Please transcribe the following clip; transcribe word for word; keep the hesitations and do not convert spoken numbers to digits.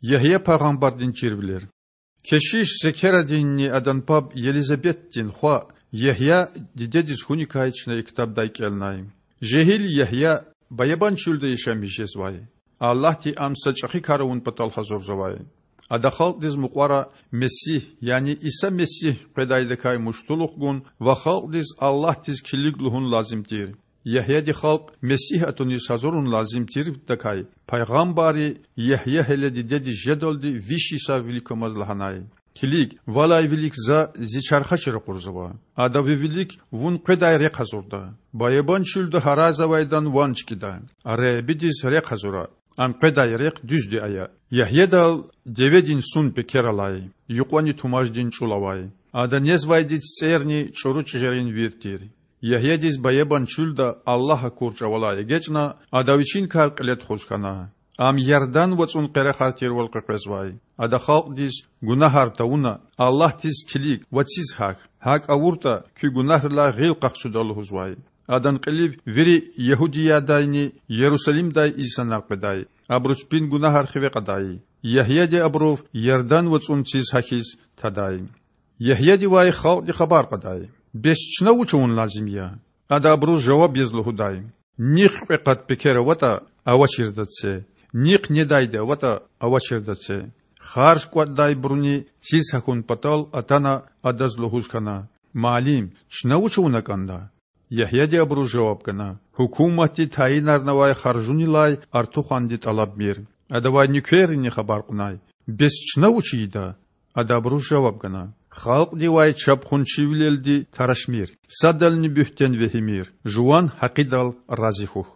Ягья пайгъамбардин чирвилер. Кешиш Зекерадинни адан паб Елизаветдин хва Ягья дидедиз хьуникай чна и ктабдай кІелнай. Жегьил Ягья баябан чуьлда яшамиш жезвай. Аллагьди ам са чІехи кар авун патал гьазурзавай. Ада халкьдиз мукьвара Месигь, яни Иса Месигь къведайдакай муштулух гун ва халкьдиз Аллагьдиз килиг лугьун лазим тир. Ягьяди халкь Месигь атуниз гьазурун лазим тирдакай, пайгъамбарри: Ягья гьеле дидедиз жедалди виш йисар виликамаз лагьанай: Килиг, валай вилик за зи чархачи ракъурзава. Ада ви вилик вун къведай рехъ гьазурда. Баябан чуьлда гьарайзавайдан ван чкІида. Худадиз рехъ гьазура, ам къведай рехъ дуьзди ая. Ягьядал деведин сун пекер алай, юкьвани тумаждин чІул авай. Ада незвайди цицІерни чІуру чІижерин вир тир. Ягьядиз баябан чуьлда Аллагь акур чІавалай эгечІна, ада вичин кар кьиле тухуз хьана. Ам Ярдан вацІун къерехар тирвал къекъвезвай. Ада халкьдиз: Гунагьар тавуна, Аллагьдиз килиг ва циз гьахь. ГьакІ авуртІа, куь гунагьрилай гъил къахчуда лугьузвай. Адан кьилив вири Ягьудиядайни Ярусалимдай инсанар къведай, абуру чпин гунагьар хиве кьадай. Ягьяди абурув Ярдан вацІун циз гьахьиз тадай. Ягьядивай халкьди хабар кьадай: Бес чна вуч авун лазим я? Ада абуруз жаваб яз лугьудай: Нихъ кьве къат пекер аватІа, авачирдаз це, нихъ недайди аватІа, авачирдаз це. Харж кІватІдайбуруни циз гьахьун патал атана, адаз лугьуз хьана: Муаллим, чна вуч авуна кІанда? Ягьяди абуруз жаваб гана: Гьукуматди тайинарнавай харжунилай артуханди тІалабмир. Адавай нуькеррини хабар кьунай: Бес чна вуч ийида? Ада абуруз жаваб гана: Халкьдивай чапхунчивилелди тарашмир, садални буьгьтен вегьимир. Жуван гьакъидал рази хьухь.